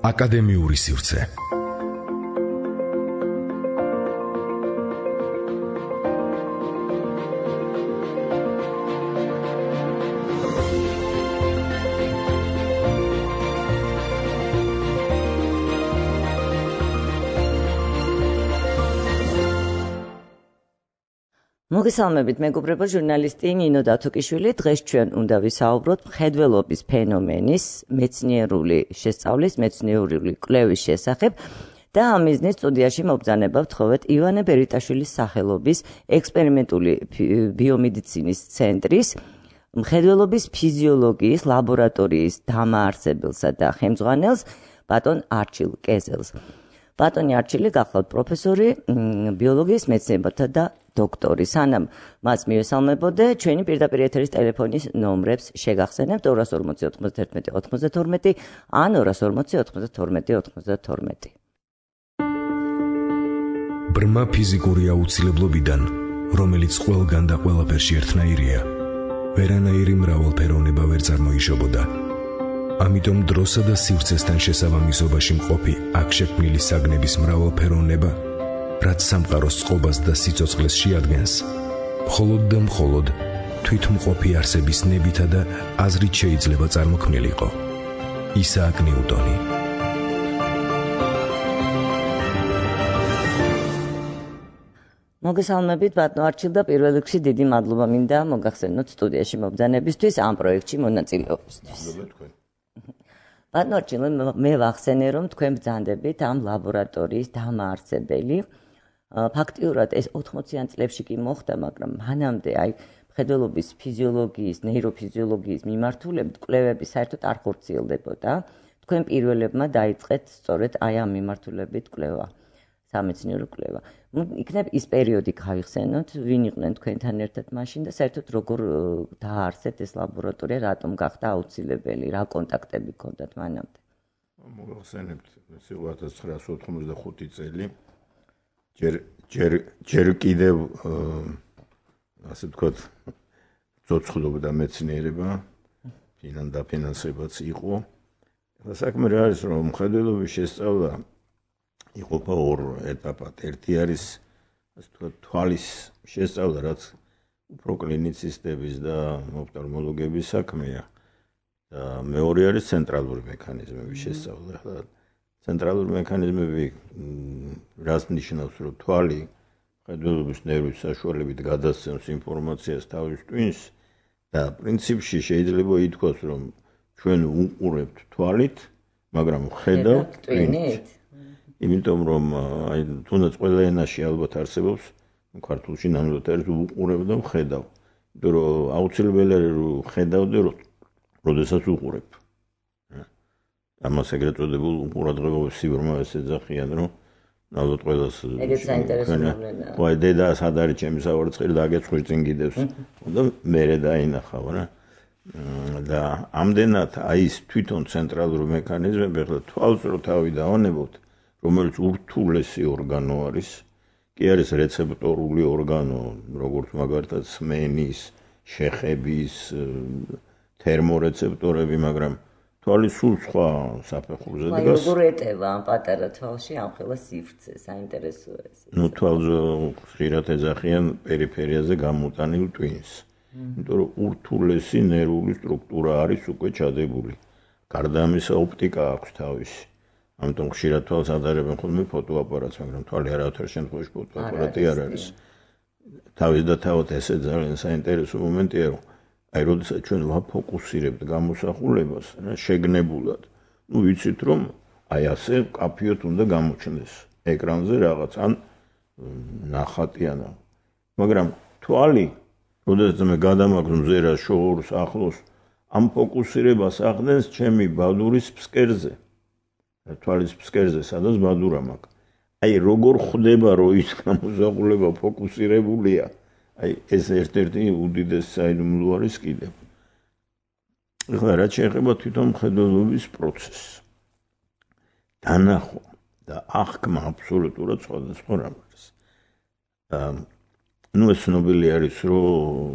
აკადემიური სივრცე. მოგესალმებით, მეგობრებო, ჟურნალისტი ნინო დათუკიშვილი. დღეს ჩვენ უნდა ვისაუბროთ მხედველობის ფენომენის, მეცნიერული შესწავლის, მეცნიერული კვლევის შესახებ და ამ მიზნით სტუდიაში მობრძანება ვთხოვეთ ივანე ბერიტაშვილის სახელობის ექსპერიმენტული ბიომედიცინის ცენტრის მხედველობის ფიზიოლოგიის ლაბორატორიის დამაარსებელსა და ხელმძღვანელს ბატონ არჩილ კეზელს. ბატონი არჩილი გახლავთ პროფესორი ბიოლოგიის მეცნიერებათა და დოქტორი. სანამ მას მივესალმებოდე, ჩვენი პირდაპირ ეთერის ტელეფონის ნომრებს შეგახსენებთ 240 91 92 ან 240 92 92. ბრმა ფიზიკური აუცილებლობიდან, რომელიც ყველგან და ყველაფერში ერთნაირია, ვერანაირი მრავალფეროვნება ვერ წარმოიშობოდა. ამიტომ დროსა და სივრცესთან შესაბამისობაში მყოფი აქ შექმნილი საგნების მრავალფეროვნება, რაც სამყაროს წყობას და სიცოცხლეს შეადგენს, მხოლოდ და მხოლოდ თვითმყოფი არსების ნებითა და აზრით შეიძლება წარმოქმნილიყო. ისააკ ნიუტონი. მოგესალმებით, ბატონო არჩილ და პირველ რიგში დიდი მადლობა მინდა მოგახსენოთ სტუდიაში მობრძანებისთვის, ამ პროექტში მონაწილეობისთვის. ბატონო არჩილ, მე ვახსენე, რომ თქვენ ბრძანდებით ამ ლაბორატორიის დამაარსებელი. ფაქტიურად ეს 80-იან წლებში კი მოხდა, მაგრამ მანამდე მხედველობის ფიზიოლოგიის, ნეიროფიზიოლოგიის მიმართულებით კვლევები საერთოდ არ ხორციელდებოდა. თქვენ პირველებმა დაიწყეთ სწორედ ამ მიმართულებით კვლევა, სამეცნიერო კვლევა. იქნებ ის პერიოდი გავიხსენოთ, ვინ იყვნენ თქვენთან ერთად მაშინ და საერთოდ როგორ დააარსეთ ეს ლაბორატორია, რატომ გახდა აუცილებელი, რა კონტაქტები ჰქონდათ მანამდე? მოგახსენებთ 1995 წელი. ჯერ კიდევ ასე ვთქვათ, ცოცხლობდა მეცნიერება, დაფინანსებაც იყო. საქმე რა არის, რომ მხედველობის შესწავლა იყოფა ორ ეტაპად. ერთი არის, ასე ვთქვათ, თვალის შესწავლა, რაც უფრო კლინიცისტების და ოფთალმოლოგების საქმეა. და მეორე არის ცენტრალური მექანიზმების შესწავლა. ცენტრალური მექანიზმები რას ნიშნავს, რომ თვალი მხედველობის ნერვის საშუალებით გადასცემს ინფორმაციას თავის ტვინს და პრინციპში შეიძლება ითქვას, რომ ჩვენ უყურებთ თვალით, მაგრამ ვხედავთ ტვინით. იმიტომ რომ თუნდაც ყველა ენაში ალბათ არსებობს, ქართულში ნამდვილად არის უყურებ და ვხედავ. იმიტომ რომ აუცილებელი არის რომ ვხედავდე, როდესაც ვუყურებ. ამას ეგრეთ წოდებულ ყურადღებობის სიბრმავეს ეძახიან, რომ ნამდვილად ყველას ეგეც საინტერესოა. ვაი, დედა სად არის ჩემი სავარცხელი და აგეცხვი წინ კიდევს. და მერე დაინახავ რა. და ამდენად ის თვითონ ცენტრალური მექანიზმები, ახლა თვალს რო თავი დავანებოთ, რომელიც ურთულესი ორგანო არის, კი არის რეცეპტორული ორგანო, როგორც მაგალითად სმენის, შეხების, თერმორეცეპტორები, მაგრამ თვალი სულ სხვა საფეხურზე დგას. როგორ ეტევა ამ პატარა თვალში ამ ხელა სივრცე, საინტერესოა ეს. თვალზე ხშირად ეძახიან პერიფერიაზე გამოტანილ ტვინს. იმიტომ რომ ურთულესი ნერვული სტრუქტურა არის უკვე ჩადებული. გარდა ამისა ოპტიკა აქვს თავისი. ამიტომ ხშირად თვალს ადარებენ ხოლმე ფოტოაპარატს, მაგრამ თვალი არავითარ შემთხვევაში ფოტოაპარატი არ არის. თავის და თავად ესე ძალიან საინტერესო მომენტია, რომ როდესაც ჩვენ ვაფოკუსირებთ გამოსახულებას, შეგნებულად, ვიცით რომ ასე კაფიოთ უნდა გამოჩნდეს ეკრანზე რაღაც, ან ნახატიანა. მაგრამ თვალი, როდესაც მე გადამაგზ მზერას, შორს, ახლოს, ამ ფოკუსირებას ახდენს ჩემი ბადურის ფსკერზე. თვალის ფსკერზე, სადაც ბადურა მაქვს. როგორ ხვდება, რომ ის გამოსახულება ფოკუსირებულია? ეს ერთ-ერთი უდიდესი საიდუმლო არის კიდევ. ეხლა რაც შეეხება თვითონ მხედველობის პროცესს. დანახვა და აღქმა აბსოლუტურად სხვადასხვა რამ არის. ეს ცნობილი არის, რომ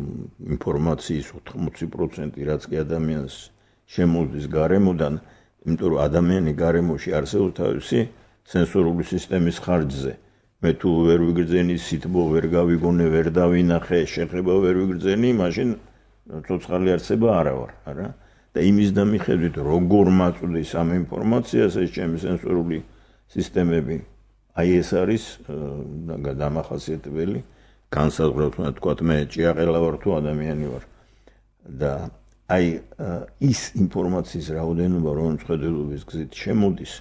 ინფორმაციის 80%, რაც კი ადამიანს შემოდის გარემოდან, იმიტომ რომ ადამიანი გარემოში არსებობს თავისი სენსორული სისტემის ხარჯზე. მე თუ ვერ ვიგრძენი სითბო, ვერ გავიგონე, ვერ დავინახე, შეხება ვერ ვიგრძენი, მაშინ ცოცხალი არსება არა ვარ, არა? და იმის დამიხედვით, როგორ მაწვდის ამ ინფორმაციას ეს ჩემი სენსორული სისტემები, აი ეს არის დამახასიათებელი განსაზღვროთ, თქვათ მე ჭიაყელა ვარ თუ ადამიანი ვარ. და აი ის ინფორმაციის რაოდენობა, რომელიც ხედელობის გზით შემოდის,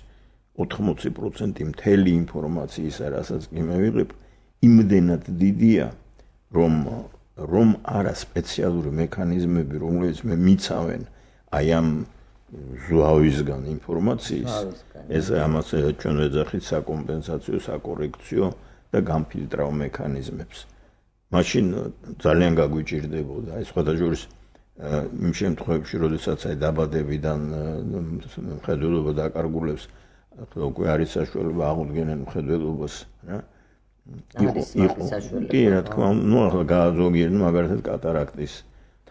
80% მთელი ინფორმაციისა, რასაც კი მე ვიღებ, იმდენად დიდია, რომ არა სპეციალური მექანიზმები, რომლებიც მე მიცავენ აი ამ ზვავისგან ინფორმაციის, ეს ამას ჩვენ ვეძახით საკომპენსაციო, საკორექციო და გამფილტრავ მექანიზმებს. მაშინ ძალიან გაგვიჭირდებოდა, ეს სხვათა შორის იმ შემთხვევებში, როდესაც აი დაბადებიდან მხედველობა დაკარგულებს, უკვე არის საშუალება აღუდგენენ მხედველობას, რა? კი, რა თქმა უნდა, ნუ ახლა გააზოგიერნ მაგალითად კატარაქტის,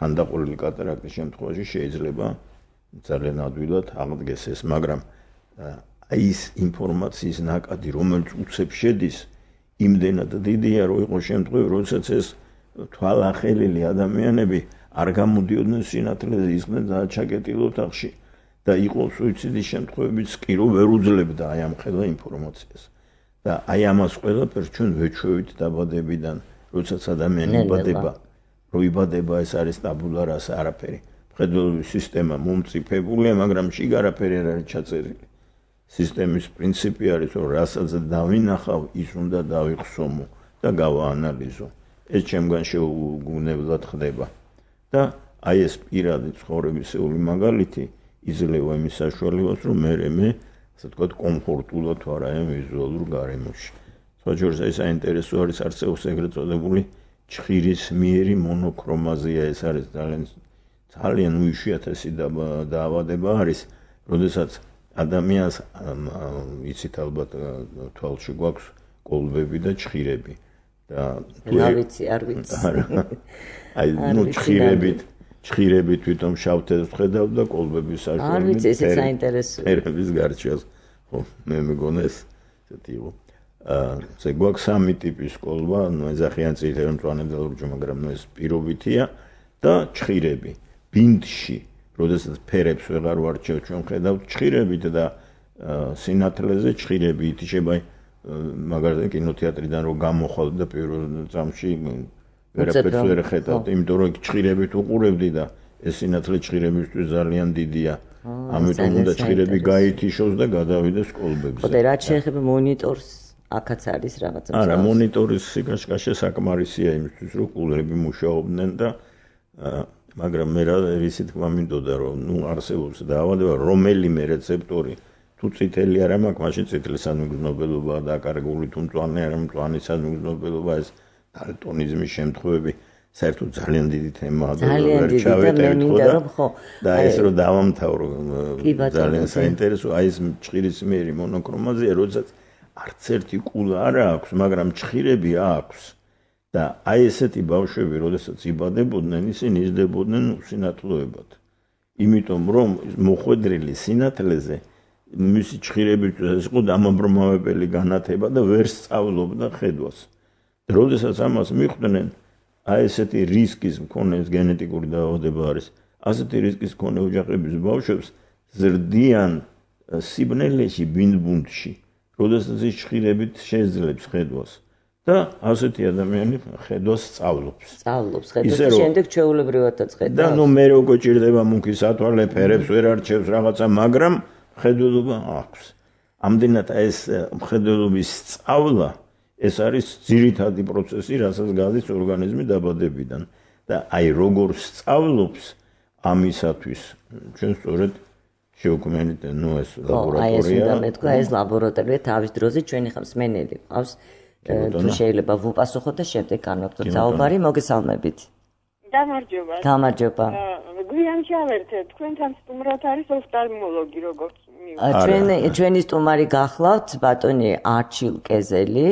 თანდაყოლილი კატარაქტის შემთხვევაში შეიძლება ძალიან ადვილად აღდგეს ეს, მაგრამ აი ის ინფორმაციის ნაკადი, რომელიც უცებ შედის, იმდენად დიდია, რომ იყო შემთხვევები, როდესაც ეს თვალახელილი ადამიანები არ გამოდიოდნენ სინათლეზე, ისხდნენ ჩაკეტილ ოთახში და იყო სუიციდის შემთხვევებიც კი, რომ ვერ უძლებდა აი ამ ხელა ინფორმაციას. და აი ამას ყველაფერს ჩვენ ვეჩვევით დაბადებიდან, როდესაც ადამიანი იბადება, რომ იბადება ეს არის ტაბულა რასა, არაფერი. მხედველობის სისტემა მომწიფებულია, მაგრამ შიგ არაფერი არ არის ჩაწერილი. სისტემის პრინციპი არის, რომ რასაც დავინახავ, ის უნდა დავიხსომო და გავაანალიზო. ეს ჩემგან შეუგუნებლად ხდება. და აი ეს პირადი ცხოვრებისეული მაგალითი იძლევა იმის საშუალებას, რომ მე ასე ვთქვათ, კომფორტულად ვარ აი ამ ვიზუალურ გარემოში. სხვა შორის ეს საინტერესო არის, არსებობს ეგრეთ წოდებული ჩხირისმიერი მონოქრომაზია, ეს არის ძალიან უიშვიათესი დაავადება არის, როდესაც ადამიანს იცით ალბათ თვალში გვაქვს კოლბები და ჩხირები. არ ვიცი. აი ნუ ჩხირები თვითონ შავთეთრს ხედავ და კოლბები საშუალებით. არ ვიცი, ესეც საინტერესოა. ფერების გარჩევას. ხო, მე მეგონა ეს ესეთი იყო. ესე გვაქვს სამი ტიპის კოლბა, ნუ ეძახიან წითელ მწვანე და ლურჯ, მაგრამ ნუ ეს პირობითია და ჩხირები. ბინდში, როდესაც ფერებს ვეღარ ვარჩევ, ჩვენ ხედავთ ჩხირებით და სინათლეზე ჩხირები ითიშება, მაგალითად კინოთეატრიდან რომ გამოხვალ და პირველ წამში ვერაფერს ვერ ხედავთ, იმიტომ რომ ჩხირებით უყურებდი და ეს სინათლე ჩხირებისთვის ძალიან დიდია. ამიტომ უნდა ჩხირები გაითიშოს და გადავიდეს კოლბებზე. ხო, და რაც შეეხება მონიტორს, აქაც არის რაღაცა. არა, მონიტორის სიკაშკაშე საკმარისია იმისთვის, რომ კულერები მუშაობდნენ და მაგრამ მე რისი თქმა მინდოდა, რომ ნუ არსებობს დაავადება, რომელიმე რეცეპტორი თუ წითელი არ მაქვს, მაშინ წითლის სანუგზნობელობა დაკარგული, თუ მწვანე არ მაქვს, მწვანის სანუგზნობელობა, ეს დალტონიზმის შემთხვევები საერთოდ ძალიან დიდი თემაა და ვერ ჩავეტევით ხო და ეს რომ დავამთავრო ძალიან საინტერესო, აი ეს ჩხირისმიერი მონოქრომაზია, როდესაც არც ერთი კულა არ აქვს, მაგრამ ჩხირები აქვს. და აი ესეთი ბავშვები, როდესაც იბადებოდნენ, ისინი იზრდებოდნენ უსინათლოებად. იმიტომ რომ მოხვედრილი სინათლეზე მისი ჩხირებისთვის იყო დამაბრმავებელი განათება და ვერ სწავლობდა ხედვას. როდესაც ამას მიხვდნენ, აი ესეთი რისკის მქონე გენეტიკური დაავადება არის. ასეთი რისკის მქონე ოჯახების ბავშვებს ზრდიან სიბნელეში, ბინდბუნდში, როდესაც ის ჩხირებით შეძლებს ხედვას. და ასეთი ადამიანი ხედვას სწავლობს. ხედვას და შემდეგ ჩვეულებრივადაც ხედავს. და ნუ მე როგორ ჭირდება მუქი სათვალე, ფერებს ვერ არჩევს რაღაცა, მაგრამ მხედველობა აქვს. ამდენად ეს მხედველობის სწავლა, ეს არის ძირითადი პროცესი, რასაც გადის ორგანიზმი დაბადებიდან. და აი როგორ სწავლობს ამისათვის, ჩვენ სწორედ შევქმნით ნუ ეს ლაბორატორია. აი ეს უნდა მეთქვა, ეს ლაბორატორია თავის დროზე ჩვენი ხმსმენელი ყავს. თუ შეიძლება ვუპასუხოთ და შემდეგ განვაგრძელოთ საუბარი, მოგესალმებით. გამარჯობა. გვიან ჩავერთეთ, თქვენთან სტუმრად არის ოფთალმოლოგი, როგორც მივხვდით. ჩვენი სტუმარი გახლავთ ბატონი არჩილ კეზელი.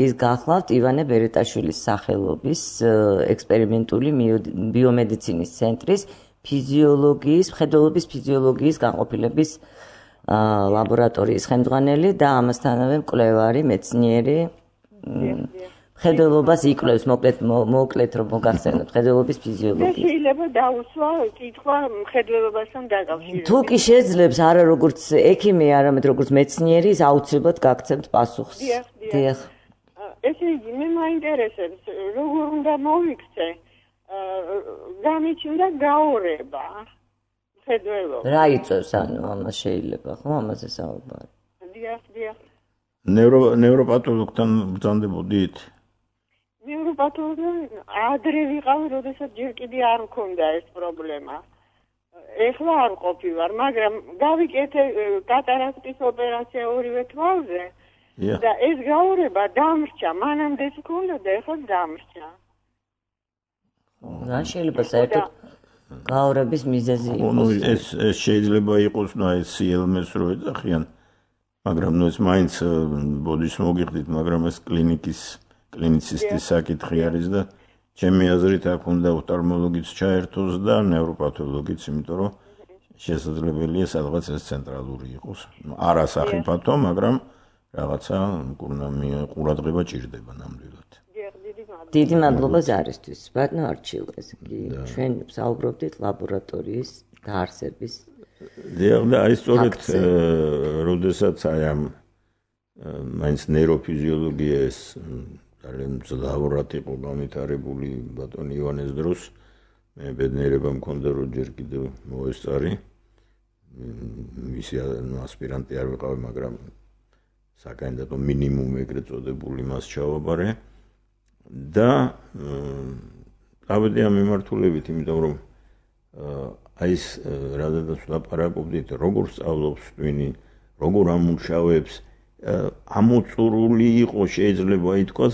ის გახლავთ ივანე ბერეტაშვილის სახელობის ექსპერიმენტული ბიომედიცინის ცენტრის ფიზიოლოგიის, მხედველობის ფიზიოლოგიის განყოფილების ლაბორატორიის ხელმძღვანელი და ამასთანავე მკვლევარი, მეცნიერი. მხედველობას იკვლევს, მოკლედ რომ მოგახსენოთ, მხედველობის ფიზიოლოგია. შეიძლება დაუსვა კითხვა მხედველობასთან დაკავშირებით. თუ კი შეძლებს, არა როგორც ექიმი, არამედ როგორც მეცნიერი, ის აუცილებლად გაგცემთ პასუხს. დიახ. ესე იგი, მე მაინტერესებს, როგორ უნდა მოვიქცე, გამიჩნდა გაორება მხედველობა. რა იწევს, ანუ ამას შეიძლება, ხო, ამაზე საუბარი. დიახ. ნევროპათოლოგთან ბრძანდებოდით? ნევროპათოლოგთან ადრე ვიყავი, როდესაც ჯერ კიდე არ მქონდა ეს პრობლემა. ეხლა არ ყოფილვარ, მაგრამ გავიკეთე კატარაქტის ოპერაცია ორივე თვალზე და ეს გაორება დამრჩა, მანამდე მქონდა და ეხლა დამრჩა. რა შეიძლება საერთოდ გაორების მიზეზი იყოს? ეს შეიძლება იყოს, ეს CLMS რო ეძახიან, მაგრამ ეს მაინც ბოდის მოგიხდით, მაგრამ ეს კლინიცისტის საკითხი არის და ჩემი აზრით აქ უნდა ოფთალმოლოგიც ჩაერთოს და ნევროპათოლოგიც, იმიტომ რომ შესაძლებელია სადღაც ეს ცენტრალური იყოს. არა სახიფათო, მაგრამ რაღაცა ყურადღება ჭირდება ნამდვილად. დიდი მადლობა ზარისთვის. ბატონო არჩილ, ეს კი ჩვენ ვსაუბრობდით ლაბორატორიის დაარსების. დიახ, და აი სწორედ როდესაც აი ამ მაინც ნეიროფიზიოლოგია ეს ძალიან მძლავრად იყო განვითარებული ბატონ ივანეს დროს. მე ბედნიერება მქონდა, რომ ჯერ კიდევ მოესწარი. მისი ასპირანტი არ ვიყავი, მაგრამ საკანდიდატო მინიმუმ ეგრეთ წოდებული მას ჩავაბარე. და ავედი ამ მიმართულებით, იმიტომ რომ აი ეს რადგან ვლაპარაკობდით, როგორ სწავლობს ტვინი, როგორ ამუშავებს, ამოწურული იყო შეიძლება ითქვას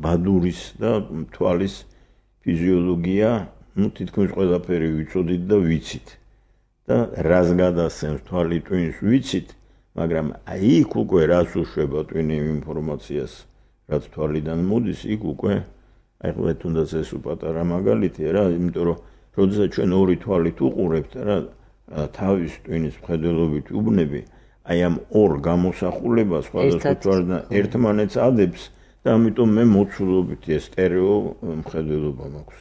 ბადურის და თვალის ფიზიოლოგია, თითქმის ყველაფერი ვიცოდით და ვიცით. და რას გადასცემს თვალი ტვინს ვიცით, მაგრამ აი იქ უკვე რას უშვება ტვინი ინფორმაციას, რაც თვალიდან მოდის, იქ უკვე აი ყველა თუნდაც ეს უპატარა მაგალითია რა, იმიტომ რომ როდესაც ჩვენ ორი თვალით უყურებთ რა, თავის ტვინის მხედველობით უბნები, აი ამ ორ გამოსახულებას სხვადასხვა თვალიდან ერთმანეთს ადებს და ამიტომ მე მოცულობითი ეს სტერეო მხედველობა მაქვს.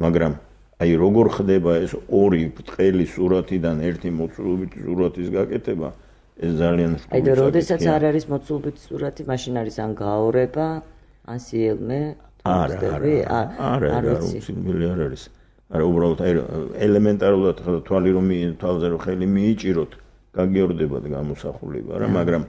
მაგრამ აი როგორ ხდება ეს ორი ბრტყელი სურათიდან ერთი მოცულობითი სურათის გაკეთება, ეს ძალიან აი და როდესაც არ არის მოცულობითი სურათი, მაშინ არის ან გაორება, ან CLMS, არა, უცილებელი არ არის. არა, უბრალოდ აი ელემენტარულად თვალი რომ თვალზე რომ ხელი მიიჭიროთ, გაგიორდებათ გამოსახულება რა, მაგრამ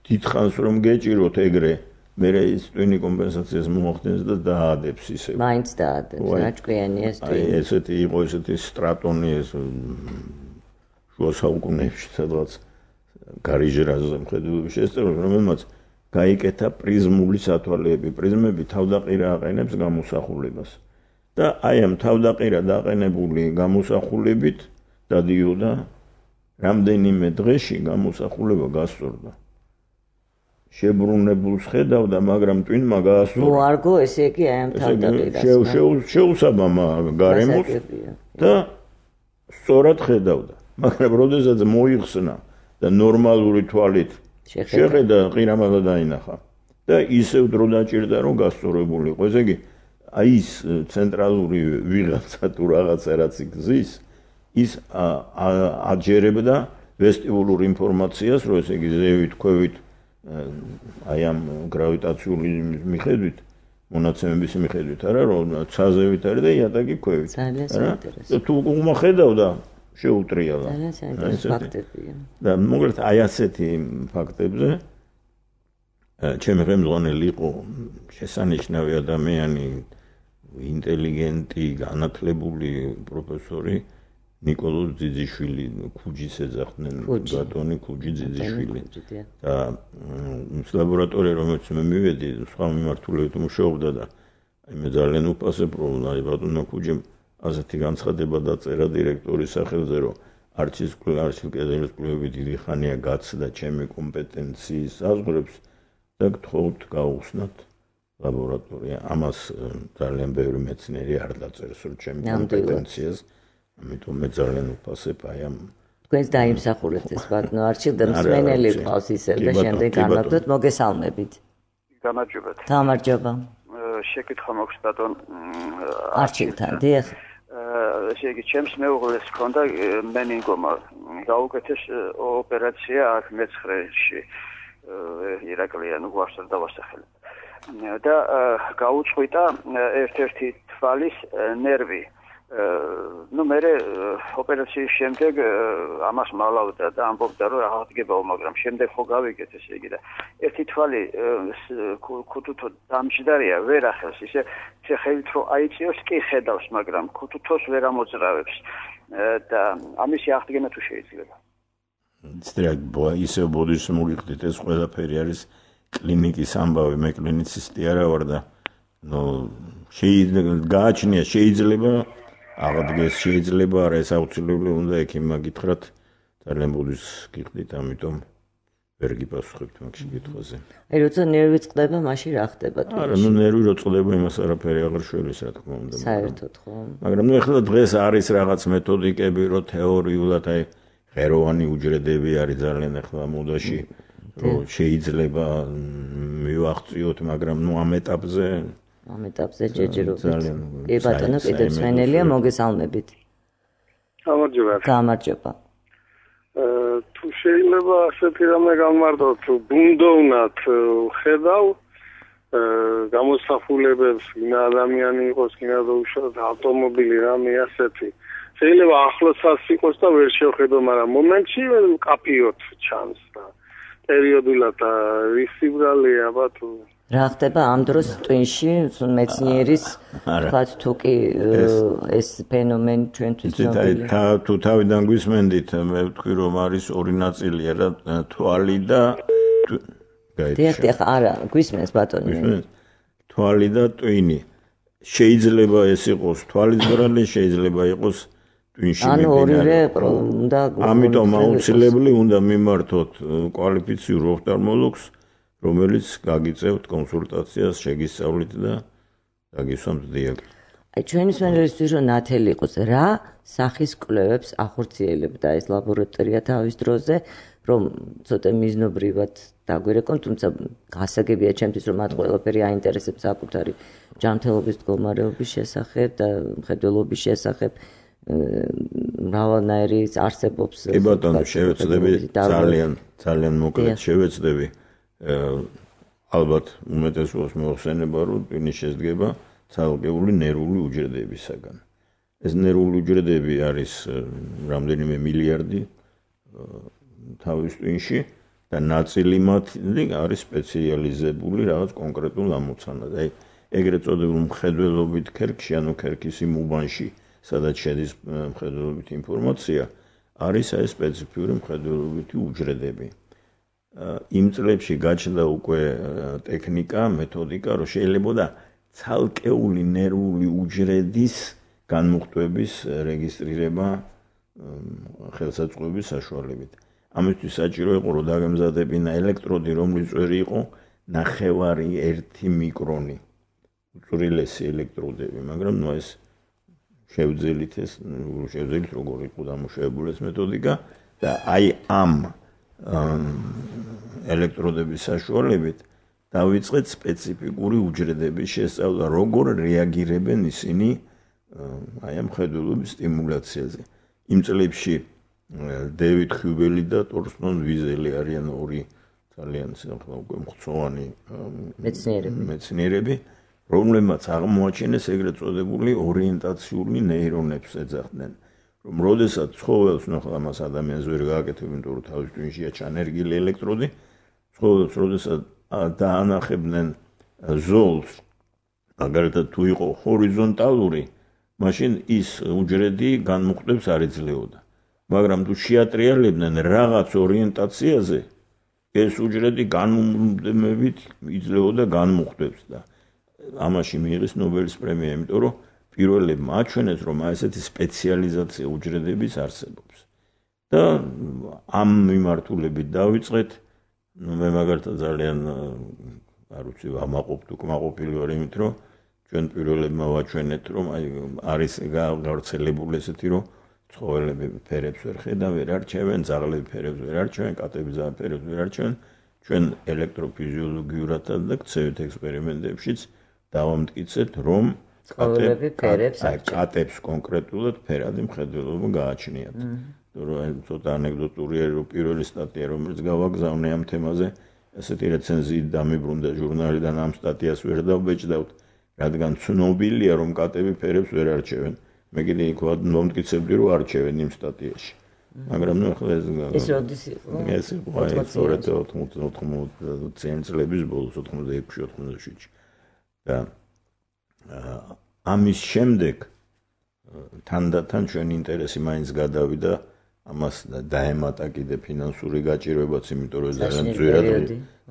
დიდხანს რომ გეჭიროთ ეგრე, მე ის ტვინი კომპენსაციას მოახდენს და დაადებს ისე. მაინც დაადებს, რაჭკვიანი ეს ტვინი. აი ესეთი იყო, ესეთი სტრატონი ეს შუა საუკუნეებში სადღაც გარიჟერაზე მხედველობის შესწავლას, რომელმაც გაიკეთა პრიზმული სათვალეები. პრიზმები თავდაყირა აყენებს გამოსახულებას. და აი ამ თავდაყირა დაყენებული გამოსახულებით დადიოდა რამდენიმე დღეში გამოსახულება გასწორდა. შებრუნებულს ხედავდა, მაგრამ ტვინმა გაასწორა. მოარგო ესე იგი აი ამ თავდაყირას. შეუსაბამა გარემოს და სწორად ხედავდა. მაგრამ როდესაც მოიხსნა და ნორმალური თვალით შეხედა, ყირამადა დაინახა. და ისევ დრო დაჭირდა, რომ გასწორებული იყო. ესე იგი აი ის ცენტრალური ვიღაცა თუ რაღაცა რაც გზის, ის აჯერებდა ვესტიბულურ ინფორმაციას, რომ ესე იგი ზევით, ქვევით, აი ამ გრავიტაციული მიხედვით, მონაცემების მიხედვით, არა, რომ ცაზევით არის და იატაკი ქვევით. ძალიან საინტერესო. თუ უმახედავდა, შეუტრიალა. ძალიან საინტერესო ფაქტებია. და მოკლედ აი ასეთი ფაქტებზე ჩემი ხელმძღვანელი იყო შესანიშნავი ადამიანი, ინტელიგენტი, განათლებული პროფესორი ნიკოლოზ ძიძიშვილი, ქუჯის ეძახდნენ, ბატონი ქუჯი ძიძიშვილი. და ის ლაბორატორია, რომელშიც მე მივედი, სხვა მიმართულებით მუშაობდა და აი მე ძალიან უფასებრო ვარ ბატონო ქუჯიმ ასეთი განცხადება დაწერა დირექტორის სახელზე, რომ არჩის კედელის კვლევები დიდი ხანია გაცდა ჩემი კომპეტენციის საზღვრებს და გთხოვთ გაუხსნათ ლაბორატორია. ამას ძალიან ბევრი მეცნიერი არ დაწერს, რომ ჩემი კომპეტენციას ამიტომ მე ძალიან ვფასებ აი ამ თქვენს დაიმსახურეთ ეს ბატონო არჩილ და მსმენელი ყავს ისევ და შემდეგ განვაგდოთ მოგესალმებით. გამარჯობათ. გამარჯობა. შეკითხვა მაქვს ბატონ არჩილთან, დიახ. ესე იგი ჩემს მეუღლეს ჰქონდა მენინგომა გაუკეთეს ოპერაცია აქ მეცხრეში ირაკლიან გვარს არ დავასახელებ და გაუწყვიტა ერთ-ერთი თვალის ნერვი ну მე ოპერაციის შემდეგ ამას მალავდა და ამბობდა რომ აღდგებაო მაგრამ შემდეგ ხო გავიგეთ ესე იგი და ერთი თვალი ქუთუთო დამჯდარია ვერ ახელს ისე ხელით რო აიწიოს კი ხედავს მაგრამ ქუთუთოს ვერ ამოძრავებს და ამისი აღდგენა თუ შეიძლება ისე ბოდიშს მოგიხდით ეს ყველაფერი არის კლინიკის ამბავი მე კლინიცისტი არა ვარ და ნუ გააჩნია შეიძლება აღდგეს შეიძლება არა ეს აუცილებლად უნდა ექიმმა გითხრათ ძალიან ბოდიშს გიხდით ამიტომ ვერ გიპასუხებთ მაგ შეკითხვაზე აი როცა ნერვი წყდება მაშინ რა ხდება თუ არა ნუ ნერვი რო წყდება იმას არაფერი აღარ შველის რა თქმა უნდა საერთოდ ხო მაგრამ ნუ ეხლა დღეს არის რაღაც მეთოდიკები რო თეორიულად აი ღეროვანი უჯრედები არის ძალიან ეხლა მოდაში რომ შეიძლება მივახციოთ მაგრამ ნუ ამ ეტაპზე ჯეჯერობით კი ბატონო კიდევ მსმენელია მოგესალმებით გამარჯობა თუ შეიძლება ასეთი რამე გამარტოთ ბუნდოვნად ხედავ გამოსახულებებს ვინა ადამიანი იყოს ვინა დაუშვათ ავტომობილი რამე ასეთი შეიძლება ახლოსაც იყოს და ვერ შევხედო მაგრამ მომენტში კაფიოთ ჩანს და პერიოდულად ვისიბრალეა ბატონო რა ხდება ამ დროს ტვინში მეცნიერის თქვათ თუ კი ეს ფენომენი ჩვენთვის ცნობილია თუ თავიდან გვისმენდით მე ვთქვი რომ არის ორი ნაწილია რა თვალი და დიახ არა გვისმენს ბატონო თვალი და ტვინი შეიძლება ეს იყოს თვალის ბრალი შეიძლება იყოს ტვინში ანუ ორივე უნდა ამიტომ აუცილებლად უნდა მიმართოთ კვალიფიციურ ოფთალმოლოგს რომელიც გაგიწევთ კონსულტაციას შეგისწავლით და გაგისვამთ დიაგნოზი. აი ჩვენი მსმენელისთვის რომ ნათელი იყოს რა სახის კვლევებს ახორციელებდა ეს ლაბორატორია თავის დროზე რომ ცოტა მიზნობრივად დაგვერეკონ თუმცა გასაგებია ჩემთვის რომ მათ ყველაფერი აინტერესებს საკუთარი ჯანმრთელობის მდგომარეობის შესახებ და მხედველობის შესახებ მრავალნაირი არსებობს კი ბატონო შევეცდები ძალიან მოკლედ შევეცდები ალბათ უმეტესობას მოხსენება რომ ტვინი შედგება ცალკეული ნერვული უჯრედებისაგან ეს ნერვული უჯრედები არის რამდენიმე მილიარდი თავის ტვინში და ნაწილი მათი არის სპეციალიზებული რაღაც კონკრეტულ ამოცანად აი ეგრეთ წოდებულ მხედველობით ქერქში ანუ ქერქის იმ უბანში სადაც შედის მხედველობით ინფორმაცია არის აი სპეციფიური მხედველობითი უჯრედები იმ წლებში გაჩნდა უკვე ტექნიკა, მეთოდიკა, რომ შეიძლება ცალკეული ნერვული უჯრედის განმუხტვების რეგისტრირება ხელსაწყოების საშუალებით. ამისთვის საჭირო იყო რომ დაგემზადებინა ელექტროდი, რომლის წვერი იყო 0.5 მიკრონი. უწვრილესი ელექტროდები, მაგრამ ნუ ეს შევძელით როგორ იყო დამუშავებული ეს მეთოდიკა და აი ამ ელექტროდების საშუალებით დავიწყეთ სპეციფიკური უჯრედების შესწავლა, როგორ რეაგირებენ ისინი აი ამ მხედველობის სტიმულაციაზე. იმ წლებში დევიდ ჰიუბელი და ტორსტონ ვიზელი არიან ორი ძალიან მხცოვანი მეცნიერები, რომლებმაც აღმოაჩინეს ეგრეთ წოდებული ორიენტაციული ნეირონებს ეძახდნენ. რომ როდესაც ცხოველს ნახავ ამას ადამიანს ვერ გააკეთებ, იმიტომ რომ თავის ტვინშია ჩანერგილი ელექტროდი, ცხოველს როდესაც დაანახებდნენ ზოლს, მაგალითად თუ იყო ჰორიზონტალური, მაშინ ის უჯრედი განმუხტვებს არ იძლეოდა. მაგრამ თუ შეატრიალებდნენ რაღაც ორიენტაციაზე, ეს უჯრედი განმუდმებით იძლეოდა განმუხტვებს და ამაში მიიღეს ნობელის პრემია, იმიტომ რომ პირველებმა აჩვენეს, რომ ესეთი სპეციალიზაცია უჯრედების არსებობს. და ამ მიმართულებით დავიწყეთ, მე მაგალითად ძალიან არ ვიცი, ამაყობთ უკმაყოფილი ვარ იმით, რომ ჩვენ პირველებმა ვაჩვენეთ, რომ არის გავრცელებული ესეთი, რომ ცხოველები ფერებს ვერ ხედავენ, ვერ არჩევენ, ძაღლები ფერებს ვერ არჩევენ, კატები ფერებს ვერ არჩევენ. ჩვენ ელექტროფიზიოლოგიურადაც და გცევით ექსპერიმენტებშიც დავამტკიცეთ, რომ კატებს კონკრეტულად ფერადი მხედველობა გააჩნიათ. რომ ცოტა ანეკდოტურია, რომ პირველი სტატია, რომელიც გავაგზავნე ამ თემაზე, ესეთი რეცენზიით დამიბრუნდა ჟურნალიდან, ამ სტატიას ვერ დავბეჭდავთ, რადგან ცნობილია, რომ კატები ფერებს ვერ არჩევენ. მე კიდე იქ მომტკიცებდი, რომ არჩევენ იმ სტატიაში. მაგრამ ნუ ახლა ეს როდის იყო? ეს იყო 80 წლების ბოლოს 86-87-ში. და ამის შემდეგ თანდათან ჩვენი ინტერესი მაინც გადავიდა ამას დაემატა კიდე ფინანსური გაჭირვებაც, იმიტომ რომ ძალიან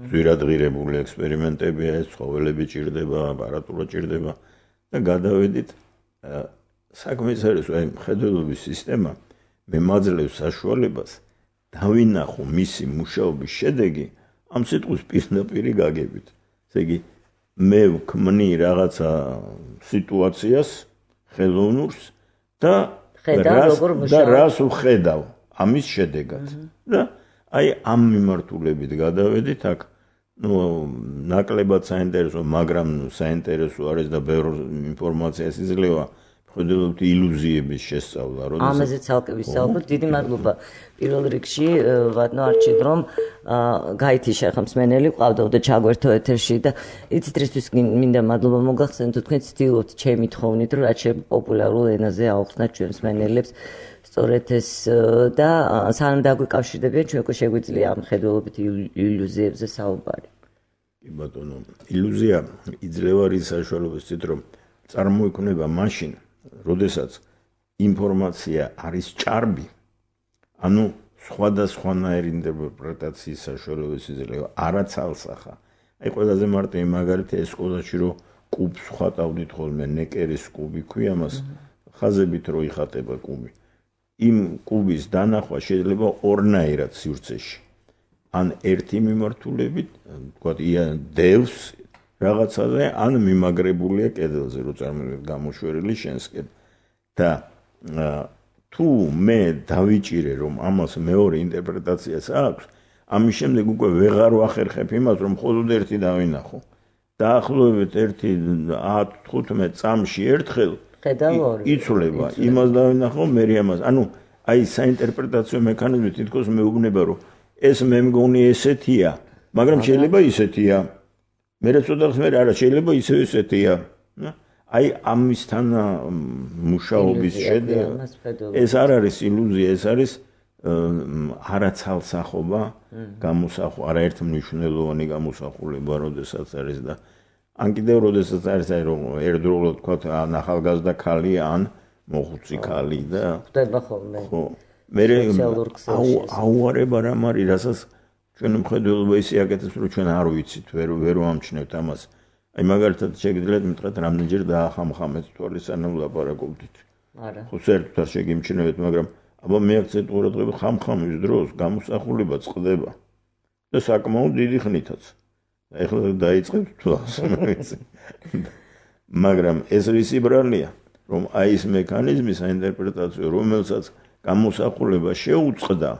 ძვირადღირებული ექსპერიმენტებია, ეს ცხოველები ჭირდება, აპარატურა ჭირდება და გადავედით საქმე ის არის, აი მხედველობის სისტემა მე მაძლევს საშუალებას დავინახო მისი მუშაობის შედეგი ამ სიტყვის პირდაპირი გაგებით. ესე იგი მე ვქმნი რაღაცა სიტუაციას ხელოვნურს და რას ვხედავ ამის შედეგად. და აი ამ მიმართულებით გადავედით აქ ნაკლებად საინტერესო, მაგრამ საინტერესო არის და ბევრ ინფორმაციას იძლევა მხედველობითი ილუზიების შესწავლა, როდესაც ამაზე ცალკე ვისაუბროთ. დიდი მადლობა პირველ რიგში ვადნო არჩით, რომ გაითიშა ხმსმენელი ყავდაო ჩაგვერთო ეთერში და იცით რისთვის მინდა მადლობა მოგახსენოთ, თქვენ ცდილობთ ჩემი თხოვნით, რომ რაც პოპულარულ ენაზე აუხსნათ ჩვენ მსმენელებს სწორედ ეს და სანამ დაგვიკავშირდებიან, ჩვენ უკვე შეგვიძლია ამ მხედველობითი ილუზიებზე საუბარი. კი ბატონო, ილუზია იძლევა რის საშუალებებით, რომ წარმოიქმნება მაშინ როდესაც ინფორმაცია არის ჭარბი, ანუ სხვადასხვანაირი ინტერპრეტაციის საშუალებას იძლევა, არა ცალსახა. აი ყველაზე მარტივი მაგალითი ეს სკოლაში რომ კუბს ხატავდით ხოლმე, ნეკერის კუბი ქვია მას, ხაზებით რო იხატება კუბი. იმ კუბის დანახვა შეიძლება ორნაირად სივრცეში. ან ერთი მიმართულებით, თქვათ, დევს რაღაცაზე, ან მიმაგრებულია კედელზე, რო წარმოიდგინეთ გამოშვერილი შენსკენ. და თუ მე დავიჭირე, რომ ამას მეორე ინტერპრეტაციას აქვს, ამის შემდეგ უკვე ვეღარ ვახერხებ იმას, რომ მხოლოდ ერთი დავინახო. დაახლოებით 10-15 წამში ერთხელ იცვლება, იმას დავინახო, მე ამას. ანუ აი საინტერპრეტაციო მექანიზმი თითქოს მეუბნება, რომ ეს მე მგონი ესეთია, მაგრამ შეიძლება ისეთია. მე რაცოდახს მე არა შეიძლება ისევ ესეთია. აი ამისთან მუშაობის შედეგი ეს არ არის ილუზია, ეს არის არაცალსახობა, გამოსახვა, არაერთმნიშვნელოვანი გამოსახულება, როდესაც არის და ან კიდევ როდესაც არის აი რომ ერთდროულად თქვათ ან ახალგაზრდა ქალი ან მოხუცი ქალი და ხდება ხოლმე. ხო. მე აუარება რამ არის, რასაც ჩვენ მხედველობა ისე აკეთებს, რომ ჩვენ არ ვიცით, ვერ ვამჩნევთ ამას. აი მაგალითად შეგიძლიათ მითხრათ, რამდენჯერ დაახამხამეთ თვალის სანამ ვლაპარაკობდით. არა. ხო საერთოდ არ შეგიმჩნევთ, მაგრამ აბა მეაქცეთ ყურადღება ხამხამის დროს გამოსახულება წყდება და საკმაოდ დიდი ხნითაც. ეხლა დაიწყებთ თვალს. მაგრამ ეს რისი ბრალია, რომ აი ეს მექანიზმი საინტერპრეტაციო, რომელსაც გამოსახულება შეუწყდა,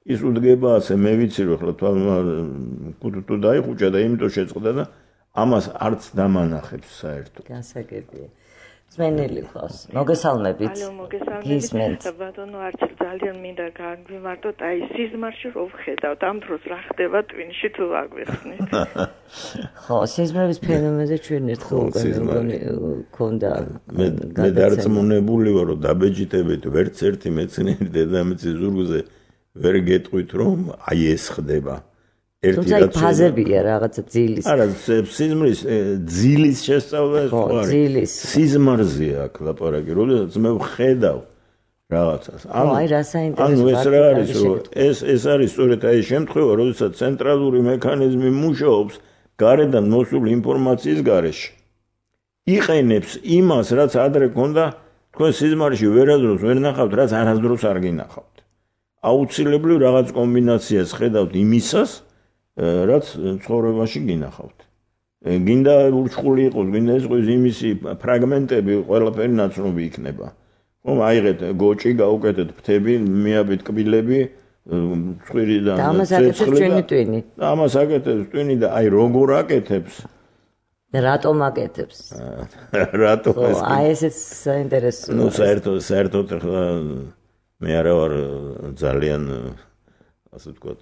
ის უდგება ასე, მე ვიცი რომ ახლა თვალმა კუტუტუ დაიხუჭა და იმიტომ შეწყდა და ამას არც დამანახებს საერთოდ. გასაგებია. მსმენელი ყავს. მოგესალმებით. ალო, მოგესალმებით. ბატონო არჩილ, ძალიან მინდა გაგვიმარტოთ აი სიზმარში რო ვხედავთ, ამ დროს რა ხდება ტვინში თუ აგვიხსნით. ხო, სიზმრის ფენომენზე ჩვენ ერთხელ გქონდა. მე დარწმუნებული ვარ, რომ დაბეჭდებით ვერც ერთი მეცნიერი დედამიწის ზურგზე ვერ გეტყვით, რომ აი ეს ხდება. თუმცა ფაზებია რაღაცა ძილის. არა, სიზმრის ძილის შესწავლა ეს ხო არის. სიზმარზეა აქ ლაპარაკი, როდესაც მე ვხედავ რაღაცას. აი რა საინტერესო. ანუ ეს რა არის, რომ ეს არის სწორედ აი შემთხვევა, როდესაც ცენტრალური მექანიზმი მუშაობს გარედან მოსულ ინფორმაციის გარეშე. იყენებს იმას, რაც ადრე ქონდა, თქვენ სიზმარში ვერასდროს ვერ ნახავთ, რაც არასდროს არ გინახავთ. აუცილებლივ რაღაც კომბინაციას ხედავთ იმისას, რაც ცხოვრებაში გინახავთ. გინდა ურჩხული იყოს, გინდა ეს იყოს იმისი ფრაგმენტები, ყველაფერი ნაცნობი იქნება. ხომ აიღეთ გოჭი, გაუკეთეთ ფრთები, მიაბით კბილები, წვირიდან და ამას აკეთებს ჩვენი ტვინი. და ამას აკეთებს ტვინი და აი როგორ აკეთებს? რატომ აკეთებს? რატომ ეს? აი ესეც საინტერესოა. ნუ საერთოდ ახლა მე არა ვარ ძალიან ასე ვთქვათ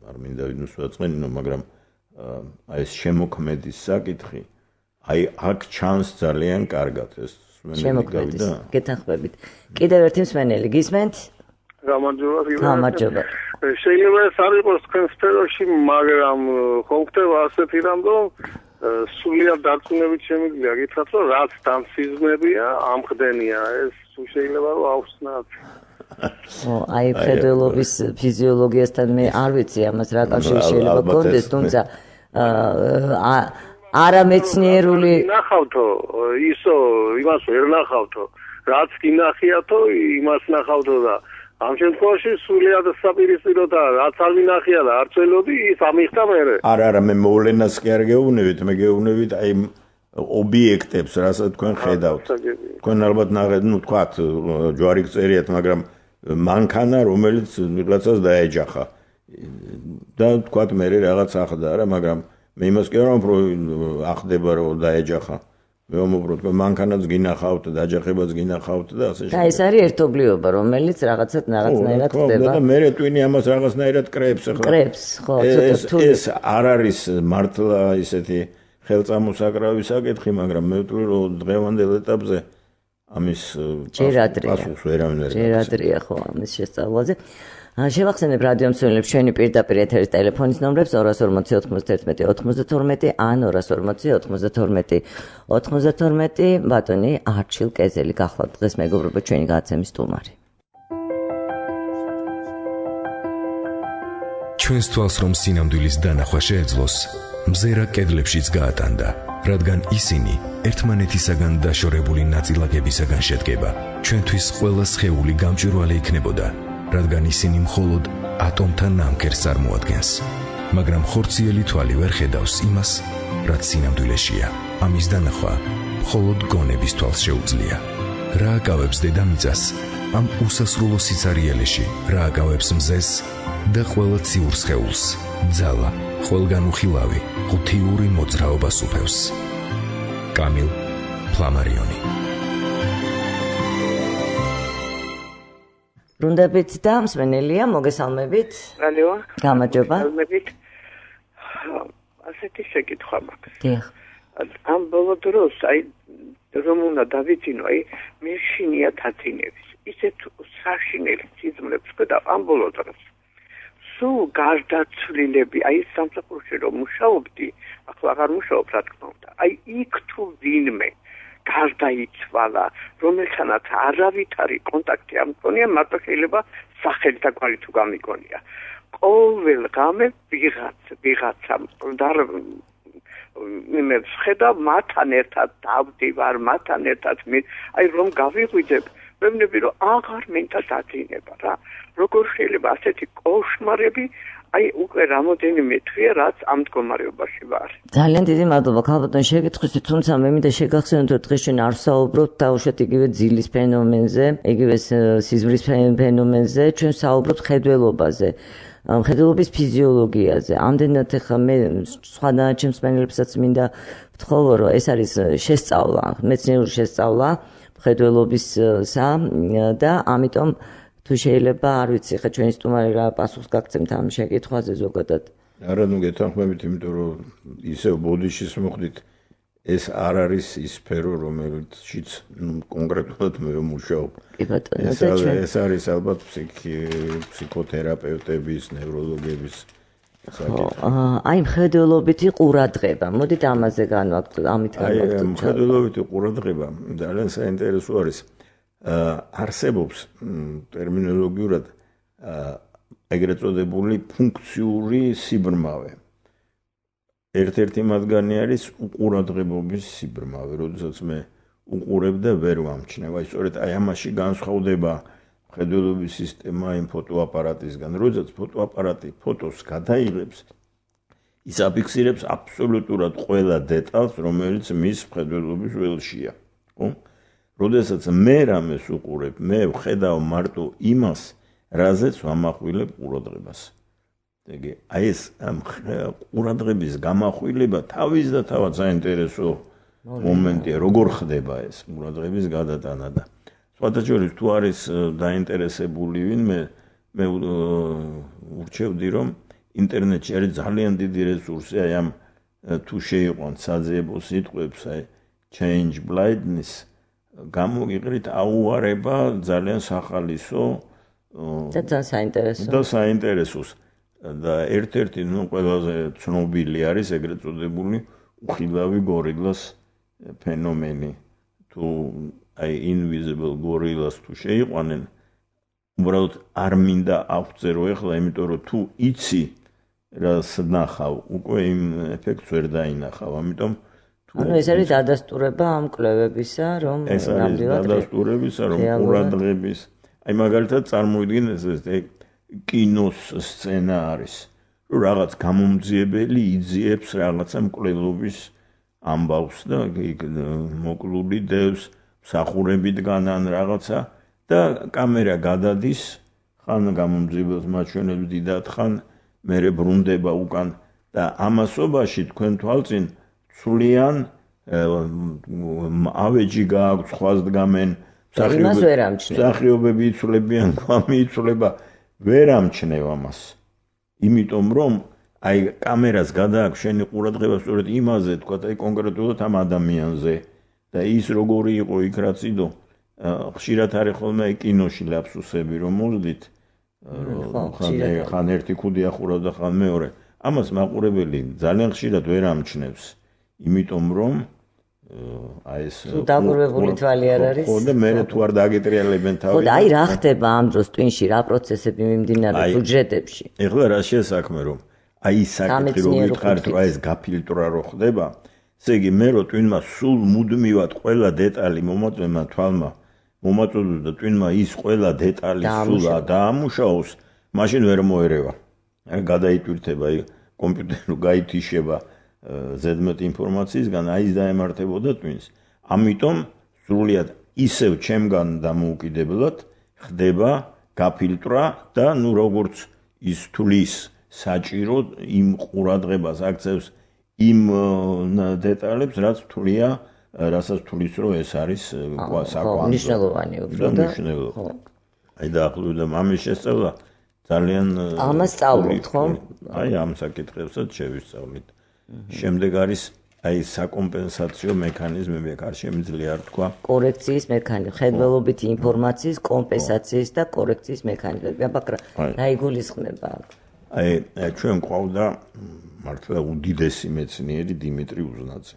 არ მინდა ვინმე ვაწყენინო, მაგრამ აი ეს შემოქმედის საკითხი აი აქ ჩანს ძალიან კარგად ეს შემოქმედის. გეთანხმებით. კიდევ ერთი მსმენელი გისმენთ? გამარჯობა. შეიძლება ეს არ იყოს თქვენ სფეროში, მაგრამ ხომ ხდება ასეთი რამ, რომ სულიად დარწმუნებით შემიძლია გითხრათ, რომ რაც დამსიზმებია, ამხდენია. ეს შეიძლება რომ ავხსნათ. აი მხედველობის ფიზიოლოგიასთან მე არ ვიცი ამას რა კავშირი შეიძლება გქონდეს, თუმცა არამეცნიერული ნახავთო, ისო იმას ვერ ნახავთო, რაც გინახიათო, იმას ნახავთო და ამ შემთხვევაში სულიად საპირისპიროა, რაც არ ვინახია და არ წველოდი, ის ამიხდა მერე. არა, მე მოვლენას კი არ გეუბნებით, მე გეუბნებით აი ობიექტებს, რასაც თქვენ ხედავთ. თქვენ ალბათ ნახეთ, ნუ თქვათ, ჯვარი გწერიათ, მაგრამ მანქანა, რომელიც ვიღაცას დაეჯახა. და თქვათ მე რაღაც ახდა რა, მაგრამ მე იმას კი არ ვამბობ, ახდება რომ დაეჯახა. მე ვამბობ, რომ მანქანაც გინახავთ, დაჯახებაც გინახავთ და ასე და ეს არის ერთობლიობა, რომელიც რაღაცნაირად ხდება. და მე ტვინი ამას რაღაცნაირად კრებს ახლა. კრებს, ხო, ცოტა რთული. ეს არ არის მართლა ისეთი ხელწამოსაკრავი საკითხი, მაგრამ მე ვთვლი, რომ დღევანდელ ეტაპზე ამის პასუხს ვერავინ ვერ ჯერ ადრეა ხო ამის შესწავლაზე. შევახსენებ რადიო მსმენელებს ჩვენი პირდაპირ ეთერის ტელეფონის ნომრებს 240 91 92 ან 240 92 92. ბატონი არჩილ კეზელი გახლავთ დღეს მეგობრებო ჩვენი გადაცემის სტუმარი. ჩვენს თვალს რომ სინამდვილის დანახვა შეეძლოს, მზერა კედლებშიც გაატანდა, რადგან ისინი ერთმანეთისაგან დაშორებული ნაწილაკებისაგან შედგება. ჩვენთვის ყველა სხეული გამჭვირვალე იქნებოდა, რადგან ისინი მხოლოდ ატომთა ნამქერს წარმოადგენს. მაგრამ ხორციელი თვალი ვერ ხედავს იმას, რაც სინამდვილეშია. ამის დანახვა მხოლოდ გონების თვალს შეუძლია. რა აკავებს დედამიწას ამ უსასრულო სიცარიელეში, რა აკავებს მზეს და ყველა ციურ სხეულს, ძალა, ყველგან უხილავი, ღუთიური მოძრაობას უფევს. კამილ ფლამარიონი. ბრუნდებით და მსმენელია, მოგესალმებით. ალო. გამარჯობა. მოგესალმებით. ასეთი შეკითხვა მაქვს. დიახ. ამ ბოლო დროს აი რომ უნდა დავიცინო, აი მე შინია თაცინების. ისეთ საშინელი სიზმრებს ხედავ ამ ბოლო დროს. სულ გარდაცვლილები, აი სამსახურში რომ მუშაობდი, ახლა აღარ მუშაობ რა თქმა უნდა. აი იქ თუ ვინმე გარდაიცვალა, რომელთანაც არავითარი კონტაქტი არ მქონია, მარტო შეიძლება სახელი და კვალი თუ გამიგონია. ყოველ ღამე ვიღაცა მე ვხედავ მათთან ერთად დავდივარ, მათთან ერთად აი რომ გავიღვიძებ, მემნები რომ აღარ მინდა დაწინება რა. როგორ შეიძლება ასეთი კოშმარები აი უკვე რამოდენიმე თვეა რაც ამ მდგომარეობაში ვარ. ძალიან დიდი მადლობა ქალბატონ შეკითხვისთვის, თუმცა მე მინდა შეგახსენოთ, რომ დღეს ჩვენ არ ვსაუბრობთ თავშეთ იგივე ძილის ფენომენზე, იგივე სიზმრის ფენომენზე, ჩვენ ვსაუბრობთ ხედველობაზე. მხედველობის ფიზიოლოგიაზე. ამდენად ახლა მე სხვა დანარჩენ მსმენელებსაც მინდა ვთხოვო, რომ ეს არის შესწავლა, მეცნიერული შესწავლა მხედველობისა და ამიტომ თუ შეიძლება არ ვიცი, ხა ჩვენი სტუმარი რა პასუხს გაგცემთ ამ შეკითხვაზე ზოგადად. არა, ნუ გეთანხმებით, იმიტომ რომ ისევ ბოდიშის მოხდით, ეს არ არის ის სფერო, რომელშიც კონკრეტულად მე ვმუშაობ. კი ბატონო, ეს არის ალბათ ფსიქოთერაპევტების, ნევროლოგების საკითხი. აი მხედველობითი ყურადღება. მოდით ამაზე განვაგრძელოთ, ამით განვაგრძელოთ. მხედველობითი ყურადღება ძალიან საინტერესო არის. არსებობს ტერმინოლოგიურად ეგრეთ წოდებული ფუნქციური სიბრმავე. ერთ-ერთი მათგანი არის უყურადღებობის სიბრმავე, როდესაც მე უყურებ და ვერ ვამჩნევ. აი სწორედ აი ამაში განსხვავდება მხედველობის სისტემა იმ ფოტოაპარატისგან. როდესაც ფოტოაპარატი ფოტოს გადაიღებს, ის აფიქსირებს აბსოლუტურად ყველა დეტალს, რომელიც მის მხედველობის ველშია. ხო? როდესაც მე რამეს უყურებ, მე ვხედავ მარტო იმას, რაზეც ვამახვილებ ყურადღებას. ეგ აი ეს ყურადღების გამახვილება თავისდათავად საინტერესო მომენტია, როგორ ხდება ეს ყურადღების გადატანა და სხვათა შორის თუ არის დაინტერესებული ვინმე მე ურჩევდი რომ ინტერნეტში არის ძალიან დიდი რესურსი აი ამ თუ შეიყვან საძიებო სიტყვებს აი change blindness გამოგიყრით აუარება ძალიან სახალისო და ძალიან საინტერესო და საინტერესოს და ერთ-ერთი ნუ ყველაზე ცნობილი არის ეგრეთ წოდებული უხილავი გორილას ფენომენი თუ აი invisible gorillas თუ შეიყვანენ უბრალოდ არ მინდა აღწერო ეხლა იმიტომ რომ თუ იცი რას ნახავ უკვე იმ ეფექტს ვერ დაინახავ ამიტომ ანუ ეს არის დადასტურება ამ კვლევებისა რომ ნამდვილად დადასტურებისა რომ ყურადღების აი მაგალითად წარმოიდგინეთ ეს კინოს სცენა არის რომ რაღაც გამომძიებელი იძიებს რაღაცა მკვლელობის ამბავს და მოკლული დევს მსახურებიდან ან რაღაცა და კამერა გადადის ხან გამომძიებელს მაჩვენებს დიდად ხან მერე ბრუნდება უკან და ამასობაში თქვენ თვალწინ სულიან ავეჯი გააქვს სხვას დგამენ მსახიობები იცვლებიან გვამი იცვლება ვერ ამჩნევ ამას იმიტომ რომ აი კამერას გადააქვს შენი ყურადღება სწორედ იმაზე თქვა აი კონკრეტულად ამ ადამიანზე და ის როგორი იყო იქ რაც იდო ხშირად არის ხოლმე აი კინოში ლაფსუსები რომ მოვლით ხან ერთი ქუდი ახურავდა ხან მეორე ამას მაყურებელი ძალიან ხშირად ვერ ამჩნევს იმიტომ რომ აი ეს დაგურვებული თვალი არ არის ხო და მე თუ არ დაგეტრიალებენ თავი ხო და აი რა ხდება ამ დროს ტვინში რა პროცესები მიმდინარეობს უჯრედებში ეხლა რა შესაქმე რომ აი საკითხი რომ ვითხარით რომ აი ეს გაფილტრა რო ხდება ესე იგი მე რო ტვინმა სულ მუდმივად ყველა დეტალი მომაწვემა თვალმა მომაწვევს და ტვინმა ის ყველა დეტალი სულ დაამუშავოს მაშინ ვერ მოერევა გადაიტვირთება აი კომპიუტერო გაითიშება ზედმეტ ინფორმაციისგან აი ის დაემართებოდა ტვინს ამიტომ სრულიად ისევ ჩემგან დამოუკიდებლად ხდება გაფილტრა და ნუ როგორც ის თulis საჭირო იმ ყურადღებას აქცევს იმ დეტალებს რაც თვლია რასაც თulis რომ ეს არის საკვანძო მნიშვნელოვანი უფრო და ხო აი დაახლოებით ამის შესწავლა ძალიან ამას სწავლობთ ხო აი ამ საკითხებსაც შევისწავლით შემდეგ არის აი საკომპენსაციო მექანიზმები აქ არ შემიძლია არ თქვა კორექციის მექანიზმი ხედველობითი ინფორმაციის კომპენსაციის და კორექციის მექანიზმები აბა რა იგულისხმება აი ჩვენ ყავდა მართლა უდიდესი მეცნიერი დიმიტრი უზნაძე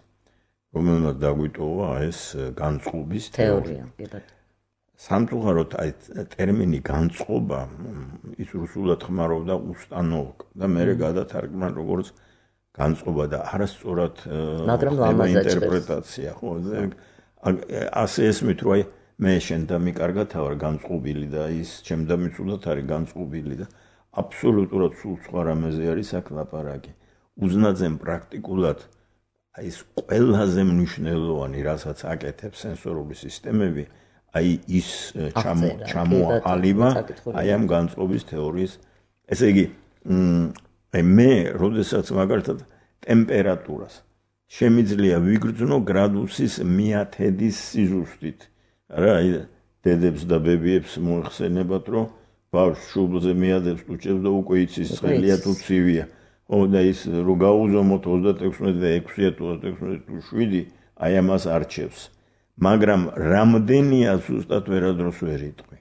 რომელმაც დაგვიტოვა ეს განწყობის თეორია სამწუხაროდ აი ტერმინი განწყობა ის რუსულად ხმარობდა უстановკ და მე გადათარგმნა როგორც განწყობა და არასწორად ინტერპრეტაცია ხო ასე ესმით რომ აი მე შენ და მიკარგად ვარ განწყობილი და ის ჩემ და მიცუდად არის განწყობილი და აბსოლუტურად სულ სხვა რამეზე არის აქ ლაპარაკი უზნაძემ პრაქტიკულად აი ეს ყველაზე მნიშვნელოვანი რასაც აკეთებს სენსორული სისტემები აი ის ჩამოაყალიბა აი ამ განწყობის თეორიის ესე იგი აი მე როდესაც მაგალითად ტემპერატურას შემიძლია ვიგრძნო გრადუსის მიათედის სიზუსტით რა აი დედებს და ბებიებს მოიხსენებათ რომ ბავშვს შუბლზე მიადებს უჭებს და უკვე იცის ცხელია თუ ცივია ო და ის რო გაუზომოთ 36 და 6 თუ 36 თუ 7 აი ამას არჩევს მაგრამ რამდენია ზუსტად ვერადროს ვერ იტყვი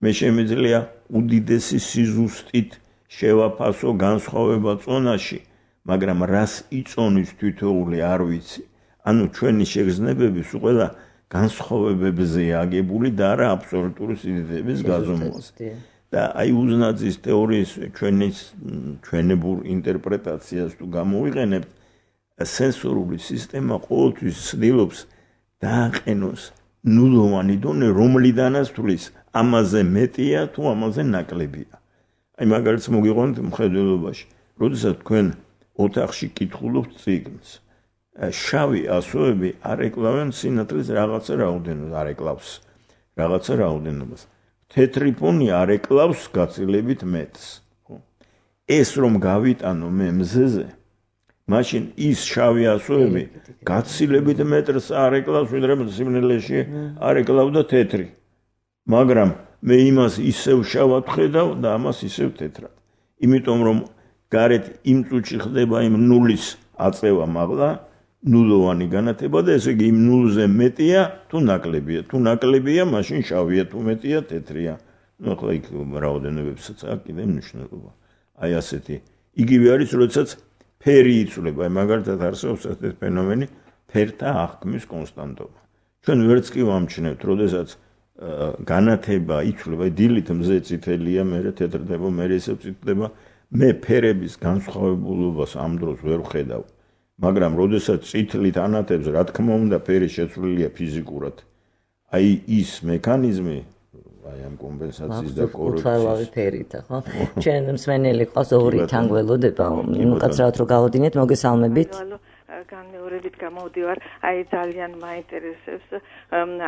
მე შემიძლია უდიდესი სიზუსტით შევაფასო განსხვავება წონაში მაგრამ რას იწონის თითოეული არ ვიცი ანუ ჩვენი შეგრძნებები სულ ყველა განსხვავებებზეა აგებული და არა აბსოლუტური სიდიდეების გაზომვაზე და აი უზნაძის თეორიის ჩვენებურ ინტერპრეტაციას თუ გამოვიყენებთ სენსორული სისტემა ყოველთვის ცდილობს დააყენოს ნულოვანი დონე რომლიდანაც თulis ამაზე მეტია თუ ამაზე ნაკლებია აი მაგალითს მოგიყვანთ მხედველობაში როდესაც თქვენ ოთახში კითხულობთ წიგნს შავი ასოები არ ეკლავენ სინათლის რაღაცა რაოდენობას, არ ეკლავს რაღაცა რაოდენობას. თეთრი ფონი არ ეკლავს გაცილებით მეტს. ეს რომ გავიტანო მე მზეზე, მაშინ ის შავი ასოები გაცილებით მეტრს არ ეკლავს, ვიდრე სიმნელეში არ ეკლავდა თეთრი. მაგრამ მე იმას ისევ შავად ხედავ და ამას ისევ თეთრად. იმიტომ რომ გარეთ იმ წუთში ხდება იმ ნულის აწევა მაღლა, ნულოვანი განათება და ესე იგი იმ ნულზე მეტია თუ ნაკლებია. თუ ნაკლებია, მაშინ შავია, თუ მეტია თეთრია. ნუ ახლა იქ რაოდენობებსაც აქვს კიდე მნიშვნელობა. აი ასეთი. იგივე არის, როდესაც ფერი იცვლება. აი მაგალითად არსებობს ეს ფენომენი ფერთა აღქმის კონსტანტობა. ჩვენ ვერც კი ვამჩნევთ, როდესაც განათება იცვლება, დილით მზე წითელია, მერე თეთრდება, მერე ისევ წითლდება. მე ფერების განსხვავებულობას ამ დროს ვერ ვხედავ. მაგრამ როდესაც წითლით ანათებს, რა თქმა უნდა, ფერი შეცვლილია ფიზიკურად. აი ის მექანიზმი, აი ამ კომპენსაციის და კორექციის ფერით, ხო? ჩვენ მსმენელი ყავს ორი თანგველოდება, უკაცრავად რო გავოდინეთ, მოგესალმებით. განმეორებით გამოვდივარ, აი ძალიან მაინტერესებს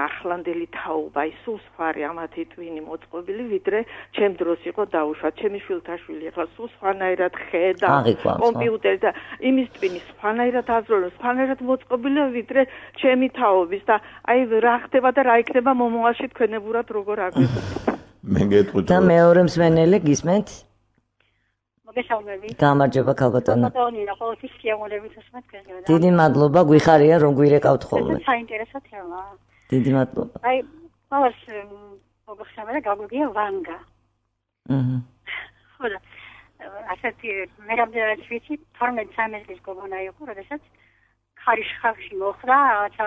ახლანდელი თაობა, ის სულ სხვარი ამათი ტვინი მოწყობილი, ვიდრე ჩემ დროს იყო დაუშვა, ჩემი შვილთაშვილი ახლა სულ სხვანაირად ხედა კომპიუტერი და იმის ტვინი სხვანაირად აზროვნებს, სხვანაირად მოწყობილია, ვიდრე ჩემი თაობის და აი რა ხდება და რა იქნება მომავალში თქვენებურად როგორ აგვიყვებით. მე გეტყვით. და მეორე მსმენელი გისმენთ? მოგესალმებით. გამარჯობა ქალბატონო. ბატონო, ყოველთვის სიამოვნებით უსმენთ გესმენთ. დიდი მადლობა, გვიხარია რომ გვირეკავთ ხოლმე. საინტერესო თემა. დიდი მადლობა. აი, ყოველს მოგხსენება და გაგვიგია ვანგა. ხო და ასეთი მე რამდენად ვიცი 12-13 წლის გოგონა იყო, როდესაც ხარიშხავში მოხდა, რაღაცა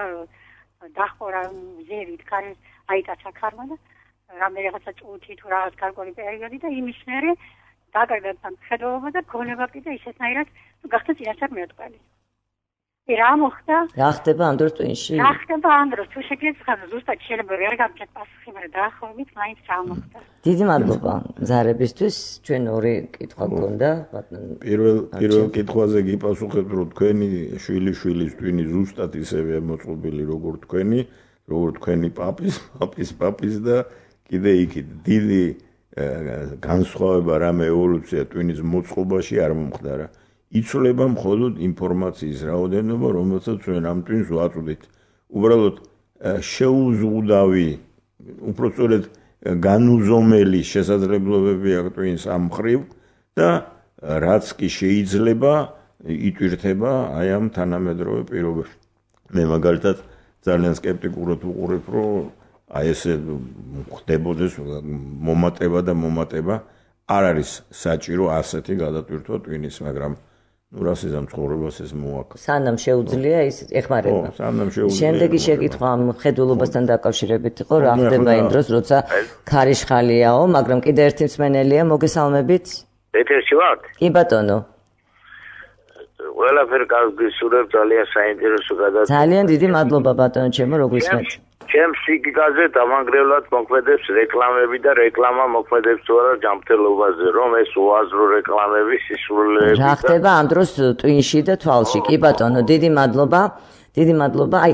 დახორა ზევით, ქარის აიტაცა ქარმა და რაღაცა წუთი თუ რაღაც გარკვეული პერიოდი და იმის მერე დაგაგებთან ხედავობა და გონება კიდე ისეთნაირად გახდა წინასწარ მეოთყალი. რა მოხდა? რა ხდება ამ დროს ტვინში? რა ხდება ამ დროს? თუ შეგეცხრა ზუსტად შეიძლება ვერ გამჭეთ პასუხი, მაგრამ დაახლოებით მაინც რა მოხდა. დიდი მადლობა ზარებისთვის. ჩვენ ორი კითხვა გქონდა. პირველ კითხვაზე გიპასუხებ, რომ თქვენი შვილიშვილის ტვინი ზუსტად ისევეა მოწყობილი, როგორც თქვენი პაპის და კიდე იქით დიდი განსხვავება რამე ევოლუცია ტვინის მოწყობაში არ მომხდარა. იცვლება მხოლოდ ინფორმაციის რაოდენობა, რომელსაც ჩვენ ამ ტვინს ვაწვდით. უბრალოდ შეუზღუდავი, უпростоრედ განუზომელი შესაძლებლობები აქვს ტვინს ამ მხრივ და რაც კი შეიძლება იტვირთება აი ამ თანამედროვე პირობებში. მე მაგალითად ძალიან სკეპტიკურად ვუყურებ, რომ აი ესე ხდებოდეს მომატება და მომატება არ არის საჭირო ასეთი გადატვირთვა ტვინის, მაგრამ ნუ რასიზამ ცხოვრებას ეს მოაქვს. სანამ შეუძლია ის ეხმარება. შემდეგი შეკითხვა მხედველობასთან დაკავშირებით იყო, რა ხდება იმ დროს, როცა ქარიშხალიაო, მაგრამ კიდე ერთი მსმენელია, მოგესალმებით. ეთერში ვართ? კი ბატონო. ყველაფერი გასურვებ, ძალიან საინტერესო გადაცემა. ძალიან დიდი მადლობა ბატონო ჩემო, რო გვისმენთ. ჩემს სიგაზე დამანგრევლად მოქმედებს რეკლამები და რეკლამა მოქმედებს თუ არა ჯანმრთელობაზე, რომ ეს უაზრო რეკლამები სისულელეები. რა ხდება ამ დროს ტვინში და თვალში? კი ბატონო, დიდი მადლობა. დიდი მადლობა. აი,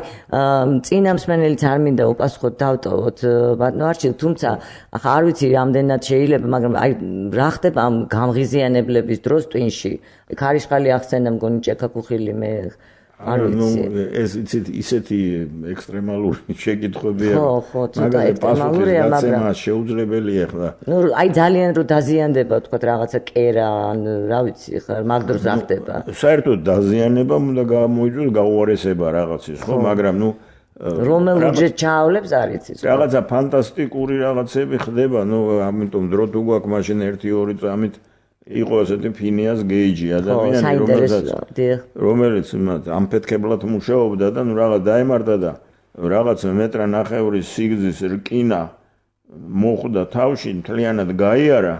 წინა მსმენელიც არ მინდა უპასუხოთ დავტოვოთ ბატონო არჩილ, თუმცა ახლა არ ვიცი რამდენად შეიძლება, მაგრამ აი რა ხდება ამ გამღიზიანებლების დროს ტვინში? ქარიშხალი ახსენა მგონი ჭექაქუხილი მე არ ვიცი. ეს ისეთი ექსტრემალური შეკითხვებია. ხო, ცოტა ექსტრემალურია, მაგრამ შეუძლებელია ხლა. ნუ აი ძალიან რო დაზიანდება, თქვა რაღაცა კერა, ან რა ვიცი, ხა მაგ დროს რა ხდება. საერთოდ დაზიანება უნდა გამოიწვიოს გაუარესება რაღაცის, ხო, მაგრამ ნუ რომელ უჯრედს ჩაავლებს არ იცის. რაღაცა ფანტასტიკური რაღაცები ხდება, ნუ ამიტომ დრო თუ გვაქვს მაშინ 1-2 წამით იყო ასეთი ფინიას გეიჯი ადამიანი, რომელიც ამფეთქებლად მუშაობდა და ნუ რაღაც დაემართა და რაღაც მეტრა ნახევრის სიგრძის რკინა მოხვდა თავში, მთლიანად გაიარა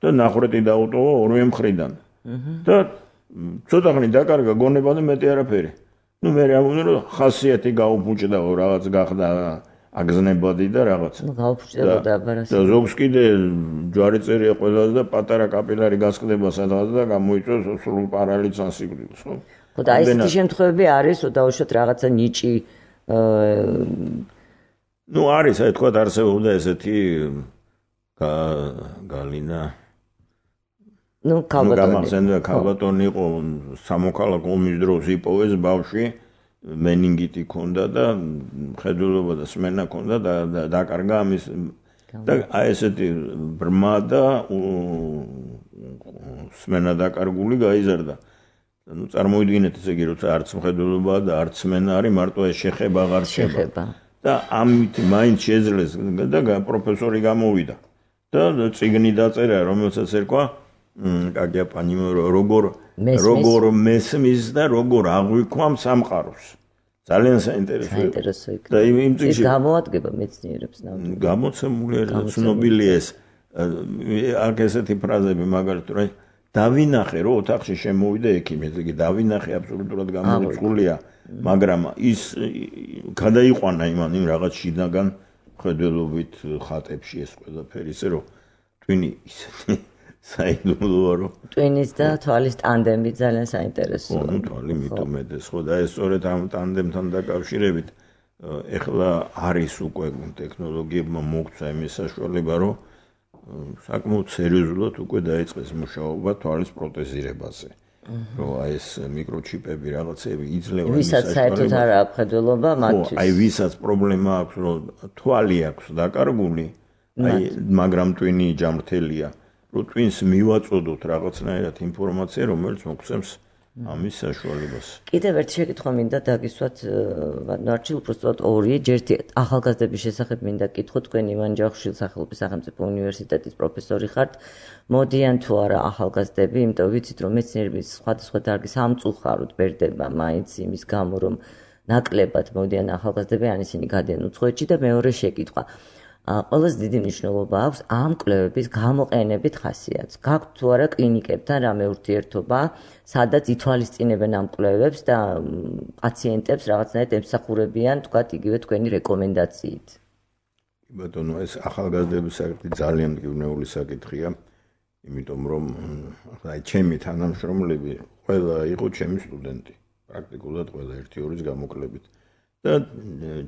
და ნახრეტი დაუტოვა ორივე მხრიდან. და ცოტა ხნით დაკარგა გონება და მეტი არაფერი. ნუ მე ამბობდი, რომ ხასიათი გაუფუჭდაო, რაღაც გახდა აგზნებადი და რაღაც. ნუ გაუფუჭდებოდა აბარას. და ზოგს კიდე ჯვარიწერია ყველაზე და პატარა კაპილარი გასკდება სადღაც და გამოიწვევს სრულ პარალიცს ან სიკვდილს, ხო? ხო და ესეთი შემთხვევები არის, რომ დაუშვათ რაღაცა ნიჭი ნუ არის, აი თქვა არსებობდა ესეთი გალინა ქალბატონი იყო სამოქალაქო ომის დროს იპოვეს ბავშვი მენინგიტი ჰქონდა და მხედველობა და სმენა ჰქონდა და დაკარგა ამის და აი ესეთი ბრმა და სმენა დაკარგული გაიზარდა. ნუ წარმოიდგინეთ ესე იგი როცა არც მხედველობა და არც სმენა არის მარტო ეს შეხება აღარ შეება. და ამით მაინც შეძლეს და პროფესორი გამოვიდა. და წიგნი დაწერა რომელსაც ერქვა კაგია პანი როგორ მესმის და როგორ აღვიქვამ სამყაროს. ძალიან საინტერესო იქნება. და იმ წიგნში გამოადგება მეცნიერებს ნამდვილად. გამოცემულია და ცნობილია ეს აქ ესეთი ფრაზები მაგალითად რა დავინახე რომ ოთახში შემოვიდა ექიმი, ესე იგი დავინახე აბსოლუტურად გამორიცხულია, მაგრამ ის გადაიყვანა იმ რაღაც შინაგან ხედველობით ხატებში ეს ყველაფერი, ისე რომ ტვინი ისეთი საიდუმლოა რომ ტვინის და თვალის ტანდემი ძალიან საინტერესოა. ნუ თვალი მithumedes ხო და ეს სწორედ ამ ტანდემთან დაკავშირებით ეხლა არის უკვე ტექნოლოგიებმა მოგცა იმის საშუალება რომ საკმაოდ სერიოზულად უკვე დაიწყეს მუშაობა თვალის პროტეზირებაზე. რომ აი ეს მიკროჩიპები რაღაცები იძლევა ვისაც საერთოდ არ აქვს ხედველობა მათთვის. აი ვისაც პრობლემა აქვს რომ თვალი აქვს დაკარგული, აი მაგრამ ტვინი ჯამრთელია, რომ ტვინს მივაწოდოთ რაღაცნაირად ინფორმაცია, რომელიც მოგცემს ამის საშუალებას. კიდევ ერთი შეკითხვა მინდა დაგისვათ ნარჩილ უბრალოდ ორი ჯერთი ახალგაზრდების შესახებ მინდა კითხოთ თქვენ ივან ჯავხიშვილის სახელობის სახელმწიფო უნივერსიტეტის პროფესორი ხართ. მოდიან თუ არა ახალგაზრდები, იმიტომ ვიცით რომ მეცნიერების სხვადასხვა დარგის ამწუხაროდ ბერდება მაინც იმის გამო რომ ნაკლებად მოდიან ახალგაზრდები, ან ისინი გადიან უცხოეთში და მეორე შეკითხვა. ყველაზე დიდი მნიშვნელობა აქვს ამ კვლევების გამოყენებით ხასიათს. გაქვთ თუ არა კლინიკებთან რამე ურთიერთობა, სადაც ითვალისწინებენ ამ კვლევებს და პაციენტებს რაღაცნაირად ემსახურებიან, თქვათ იგივე თქვენი რეკომენდაციით. ბატონო, ეს ახალგაზრდების საკითხი ძალიან მტკივნეული საკითხია, იმიტომ რომ აი ჩემი თანამშრომლები ყველა იყო ჩემი სტუდენტი, პრაქტიკულად ყველა 1-2 გამოკლებით. და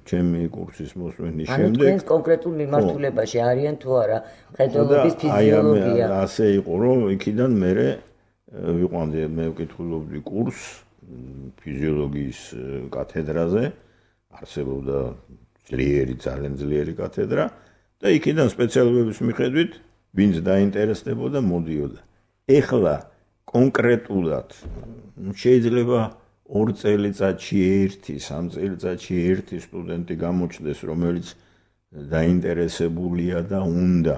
ჩემი კურსის მოსვენის შემდეგ ანუ თქვენ კონკრეტულ მიმართულებაში არიან თუ არა ხედველობის ფიზიოლოგია. ასე იყო რომ იქიდან მე ვიყვანდი მე ვკითხულობდი კურსს ფიზიოლოგიის კათედრაზე, არსებობდა ძალიან ძლიერი კათედრა და იქიდან სპეციალობების მიხედვით ვინც დაინტერესდებოდა მოდიოდა. ეხლა კონკრეტულად შეიძლება 2 წელიწადში 1, 3 წელიწადში 1 სტუდენტი გამოჩნდეს, რომელიც დაინტერესებულია და უნდა.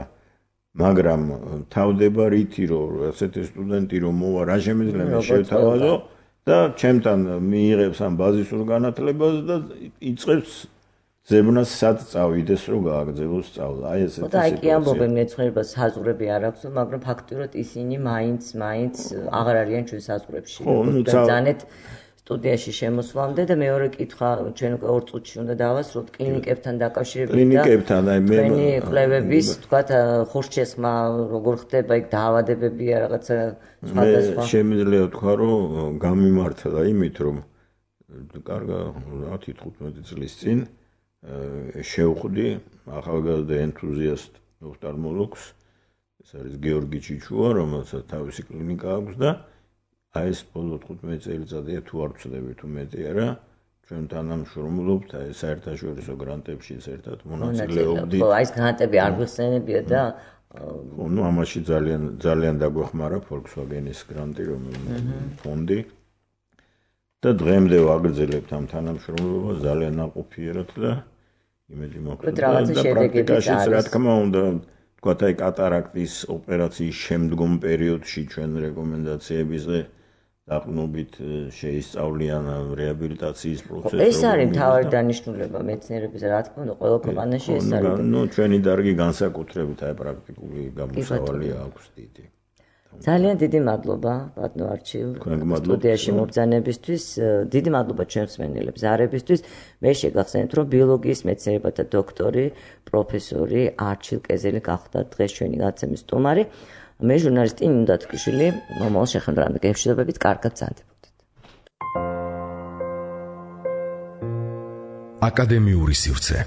მაგრამ თავდება რითი რომ ასეთი სტუდენტი რომ მოვა რა შემიძლია შევთავაზო და ჩემთან მიიღებს ამ ბაზისურ განათლებას და იწყებს ზებნას სად წავიდეს რომ გააგრძელოს სწავლა. აი ესეთი სიტუაცია. და აი კი ამბობენ მეცნიერებას საზღვრები არ აქვს, მაგრამ ფაქტიურად ისინი მაინც აღარ არიან ჩვენ საზღვრებში. ბრძანეთ სტუდიაში შემოსვლამდე და მეორე კითხვა ჩვენ უკვე 2 წუთში უნდა დავასრულოთ კლინიკებთან დაკავშირებით და თქვენი კვლევების თქვათ ხურშესხმა როგორ ხდება იქ დაავადებებია რაღაცა სხვადასხვა. მე შემიძლია ვთქვა რომ გამიმართლა იმით რომ კარგა 10-15 წლის წინ შევხვდი ახალგაზრდა ენთუზიასტ ოფთალმოლოგს, ეს არის გიორგი ჩიჩუა, რომელსაც თავისი კლინიკა აქვს და აი ეს ბოლო 15 წელიწადია თუ არ ვცდები თუ მეტი არა, ჩვენ თანამშრომლობთ აი საერთაშორისო გრანტებში ერთად მონაწილეობდით. ხო, აი ეს გრანტები არ გვიხსენებია და ნუ ამაში ძალიან დაგვეხმარა Volkswagen-ის გრანტი, რომელიც ფონდი და დღემდე ვაგრძელებთ ამ თანამშრომლობას ძალიან ნაყოფიერად და იმედი მაქვს და პრაქტიკაშიც რა თქმა უნდა თქვათ აი კატარაქტის ოპერაციის შემდგომ პერიოდში ჩვენ რეკომენდაციებზე დაყნობით შეისწავლიან რეაბილიტაციის პროცესს. ეს არის მთავარი დანიშნულება მეცნიერების, რა თქმა უნდა, ყველა ქვეყანაში ეს არის. ნუ ჩვენი დარგი განსაკუთრებით აი პრაქტიკული გამოსავალი აქვს დიდი. ძალიან დიდი მადლობა ბატონო არჩილ სტუდიაში მობრძანებისთვის, დიდი მადლობა ჩვენს მსმენელებს ზარებისთვის. მე შეგახსენებთ რომ ბიოლოგიის მეცნიერებათა დოქტორი პროფესორი არჩილ კეზელი გახდა დღეს ჩვენი გადაცემის სტუმარი. მე ჟურნალისტი ნინო დათქვიშვილი, მომავალ შეხვედრამდე გეშინებებით, კარგად გრძანდებოდეთ. აკადემიური სივრცე.